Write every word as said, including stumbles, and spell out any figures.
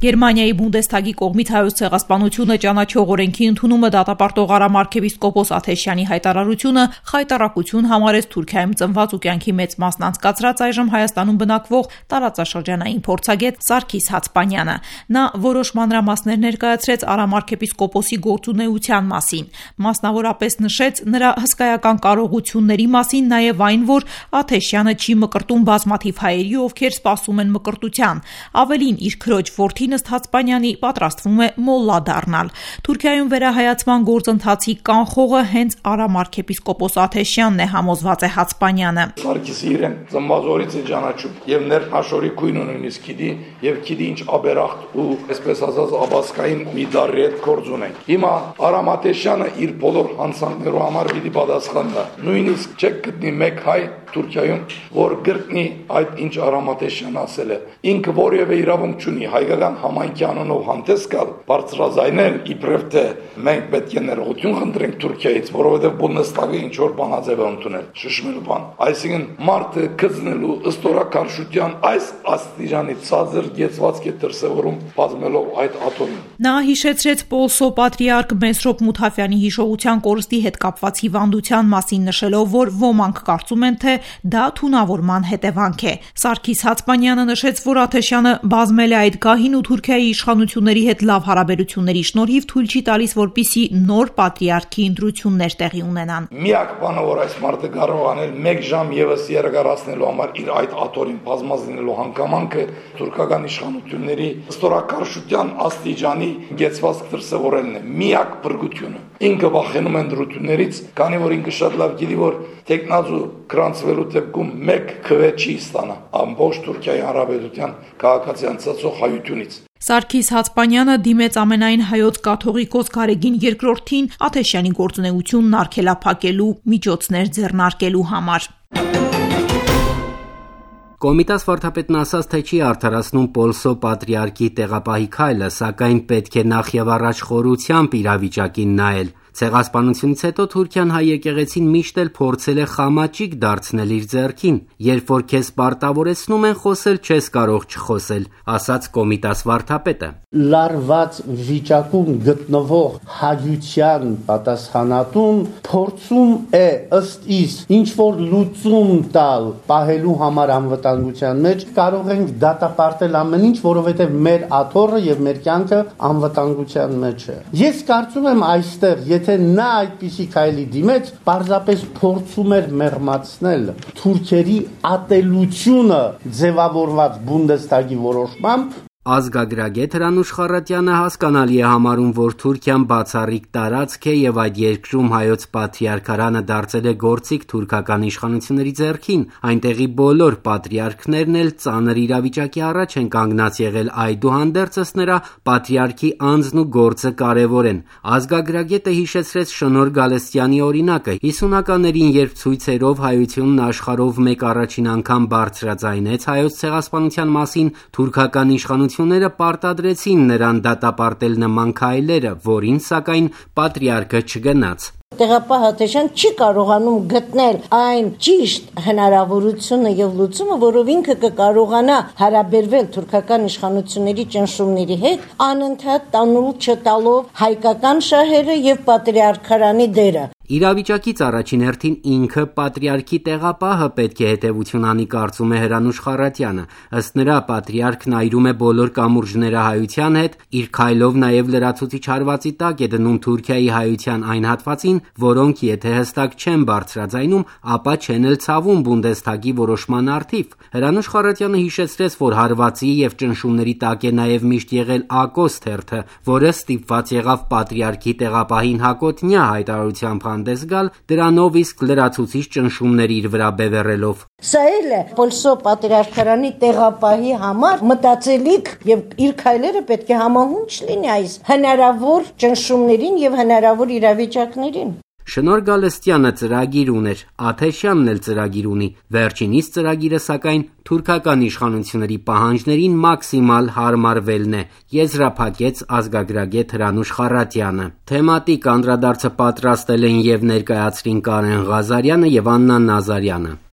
Գերմանիայի Բունդեսթագի կողմից հայոց ցեղասպանությունը ճանաչող օրենքի ընդունումը դատապարտող Արամ արքեպիսկոպոս Աթեշյանի հայտարարությունը խայտառակություն համարեց Թուրքիայում ծնված ու կյանքի մեծ մասն անցկացրած այժմ Հայաստանում բնակվող տարածաշրջանային փորձագետ Սարգիս Հացպանյանը։ Նա որոշ մանրամասներ ներկայացրեց Արամ արքեպիսկոպոսի գործունեության մասին, մասնավորապես նշեց նրա հսկայական կարողությունների մասին, նաև այն, որ Աթեշյանը չի մկրտում բազմաթիվ հայերի, ովքեր սպասում են մկրտության։ Ավելին, իր քրոջ որդին ըստ Հացպանյանի պատրաստվում է մոլլա դառնալ։ Թուրքիայում վերահայացման գործընթացի կանխողը հենց Արամ արքեպիսկոպոս Աթեշյանն է, համոզված է Հացպանյանը։ Սարգիսը իրեն ծնվածորից է ճանաչում եւ ներքնաշորի քույնը նույնիսկ գիտի եւ գիտի ինչ աբերախտ ու այսպես ասած աբասկային մի դարի հետ գործ ունենք։ Հիմա Արամ Աթեշյանը իր բոլոր հանցանքներու համար պիտի պատասխան տա։ Նույնիսկ չեք գտնի մեկ հայ Թուրքիայում, որ գրտնի այդ ինչ Արամ Աթեշյանը ասել է։ Ինքը որևէ իրավունք չունի հայկական համայնքի անունով հանդես գալ, բարձրաձայնել իբրև թե մենք պետք է ներողություն խնդրենք Թուրքիայից, որովհետև Բունդեսթագը ինչ որ բանաձև է ընդունել, շշմելու բան։ Այսինքն մարդը գտնելու ըստորակարշության այս աստիճանի ցածր գեցվածք է դրսևորում բազմելով այդ աթոռին։ Նա հիշեցրեց Պոլսո պատրիարք Մեսրոպ Մութաֆյանի հիշողության կորստի հետ կապված հիվանդության մասին, նշելով, որ ոմանք կարծում են, թե դա թունավորման հետևանք է։ Սարգիս Հացպանյանը նշեց, որ Աթեշյանը բազմել է այդ գահին ու Թուրքիայի իշխանությունների հետ լավ հարաբերությունների շնորհիվ թույլ չի տալիս, որպիսի նոր պատրիարքի ընտրություններ տեղի ունենան։ Միակ բանը, որ այս մարդը կարող անել մեկ ժամ եւս երկարացնելու համար իր այդ աթոռին բազմած լինելու հանգամանքը թուրքական իշխանությունների ստորակարշության աստիճանի գեցվածք դրսևորելն է։ Միակ բրգությունը։ Ինքը վախենում է ընտրություններից, քանի որ ինքը շատ լավ գիտի, որ տեխնազու գրանցվելու դեպքում մեկ քվե չի ստանա ամբողջ Թուրքիայի Հանրապետության քաղաքացիական ցածող հայությունից։ Սարգիս Հացպանյանը դիմեց ամենայն հայոց կաթողիկոս Գարեգին երկրորդին Աթեշյանի գործունեությունն արգելափակելու միջոցներ ձեռնարկելու համար։ Կոմիտաս վարդապետն ասաց, թե չի արդարացնում Պոլսո պատրիարքի տեղապահի քայլը, սակայն պետք է նախ եւ առաջ խորությամբ իրավիճակին նայել։ Ցեղասպանությունից հետո Թուրքիան հայ եկեղեցին միշտ էլ փորձել է խամաճիկ դարձնել իր ձեռքին։ Երբ որ քեզ պարտավորեցնում են խոսել, չես կարող չխոսել, ասաց Կոմիտաս վարդապետը։ Լարված վիճակում գտնվող հաջության պատասխանատուն փորձում է ըստ իս ինչ որ լուծում տալ պահելու համար անվտանգության մեջ, կարող ենք դատապարտել ամեն ինչ, որովհետև մեր աթոռը եւ մեր կյանքը անվտանգության մեջ է։ Ես կարծում եմ այստեղ եթե նա այդպիսի քայլի դիմեց, պարզապես փորձում էր մեղմացնել թուրքերի ատելությունը ձևավորված Բունդեսթագի որոշմամբ։ Ազգագրագետ Հրանուշ Խառատյանը հասկանալի է համարում, որ Թուրքիան բացառիկ տարածք է եւ այդ երկրում հայոց պատրիարքարանը դարձել է գործիք թուրքական իշխանությունների ձեռքին, այնտեղի բոլոր պատրիարքներն էլ ծանր իրավիճակի առաջ են կանգնած եղել, այդուհանդերձ ըստ նրա պատրիարքի անձն ու գործը կարևոր են։ Ազգագրագետը հիշեցրեց Շնոր Գալստյանի օրինակը, հիսունականներին, երբ ցույցերով հայությունն աշխարհով մեկ առաջին անգամ բարձրաձայնեց հայոց ցեղասպանության մասին, թուրքական իշխանությունները ները պարտադրեցին նրան դատապարտել նման քայլերը, որին սակայն պատրիարքը չգնաց։ Տեղապահ Աթեշյան չի կարողանում գտնել այն ճիշտ հնարավորությունը եւ լուծումը, որով ինքը կկարողանա հարաբերվել թուրքական իշխանությունների ճնշումների հետ, անընդհատ տանուլ չտալով հայկական շահերը եւ պատրիարքարանի դերը։ Իրավիճակից առաջին հերթին ինքը պատրիարքի տեղապահը պետք է հետևություն անի, կարծում է Հրանուշ Խառատյանը։ Ըստ նրա պատրիարքն այրում է բոլոր կամուրջները հայության հետ, իր քայլով նաև լրացուցիչ հարվածի տակ է դնում Թուրքիայի հայության այն հատվածին, որոնք եթե հստակ չեն բարձրաձայնում, ապա չեն էլ ցավում Բունդեսթագի որոշման առթիվ։ Հրանուշ Խառատյանը հիշեցրեց, որ հարվածի եւ ճնշումների տակ է նաև միշտ եղել Ակոս թերթը, որը ստիպված եղավ պատրիարքի տեղապահին հակոտնյա հայտարարությամբ հանդես գալ, դրանով իսկ լրացուցիչ ճնշումներ իր վրա բևեռելով։ Սա էլ է Պոլսո պատրիարքարանի տեղապահի համար մտածելիք եւ իր քայլերը պետք է համահունչ լինի այս հնարավոր ճնշումներին եւ հնարավոր իրավիճակներին։ Շնոր Գալստյանը ծրագիր ուներ, Աթեշյանն էլ ծրագիր ունի։ Վերջինիս ծրագիրը սակայն թուրքական իշխանությունների պահանջներին մաքսիմալ հարմարվելն է, եզրափակեց ազգագրագետ Հրանուշ Խառատյանը։ Թեմատիկ անդրադարձը պատրաստել են եւ ներկայացրին Կարեն Ղազարյանը եւ Աննա Նազարյանը։